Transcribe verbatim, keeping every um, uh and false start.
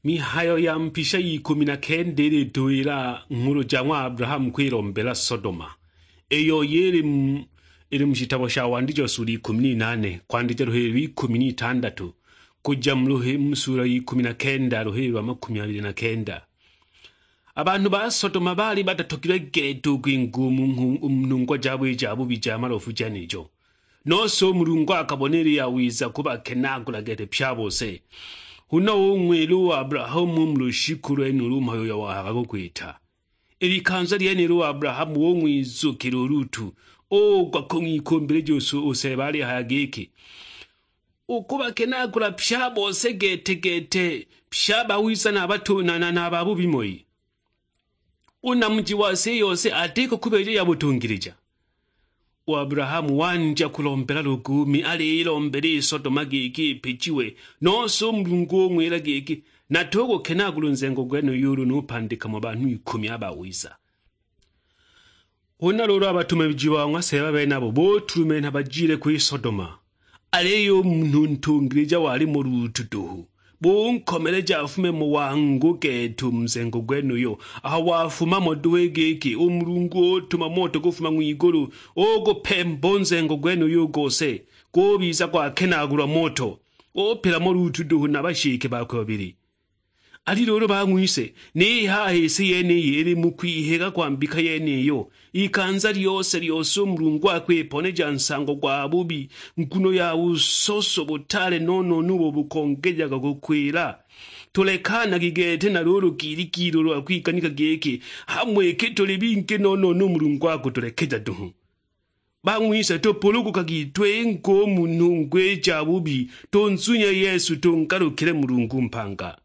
Mihayo ya Mpisha y'ikumi na kenda ilituwila nghulu ja ng'wa Abrahamu kwilombela Sodoma, iyo yili mu, ili mu shitabo sha Wandijo sula ikumi n'inane, kwandija luhili lw'ikumi n'itandatu, kuja mu luhi-, mu sula y'ikumi na kenda, luhili lwa makumi abili na kenda. A banhu ba Sodoma baali batatogilwe gete u kwinga u mu nghu-, u mu nhungwa jabo i ja bubi ja malofu jenijo. Nose u Mulungu akabona ili yawiza kubakenaagula gete pye a bose. Huna ung'wila u Abrahamu u mu lushiku lwenulu u mhayo uyo wahayaga gukwita. I likanza lyenilo u Abrahamu ung'wizukila u Lutu, ugwa kung'wikumbilija u su-, u Seeba alihaya giki, "Ukubakenaagula pye a bose gete-gete, pye a bawiza na batu-, na, na, na babubi moi." U namuji wa si i yose atiko kubeeja ya butungilija. U Abrahamu wandya kulombela luguumi, aliilombela i Sodoma giki ipijiwe, nose u Mulungu ung'wila giki, "Natugukenaagula u nzengo gwenuyu ulu nupandika mo banhu ikumi a bawiza." Huna luulu a batumamiji ba ng'wa Seeba benabo butulumenha bajile ku i Sodoma. Aliyo u munhu ntungilija wali mo Lutu duhu, bunkomeleja afume mo wangu gete u mu nzengo gwenuyo. Aho wafuma mo duhu i giki, u Mulungu utuma moto gufuma ng'wigulu, ugupemba u nzengo gwenuyo u gose, gubiza gwakenaagulwa moto, upila mo Lutu duhu na bashike bakwe babili. Ali luulu bang'wise, ni haha i si yeniyi ili mu kwihiga kwa mbika yeniyo, ikanza lyose-lyose u Mulungu akwiponeja nsango gwa bubi, nguno ya busoso butaale no-no-no ubo bukongejaga kukwila. Tulekanagi gete na luulu gīlī-gīlī ulu akwiganika giki, hamo iki tuli bingī no-no-no u Mulungu akutulekeja duhu. Bang'wise, tupulugukagi twinge u mu nhungwa i ja bubi, tunzunye Yesu, tungalukile Mulungu mpanga.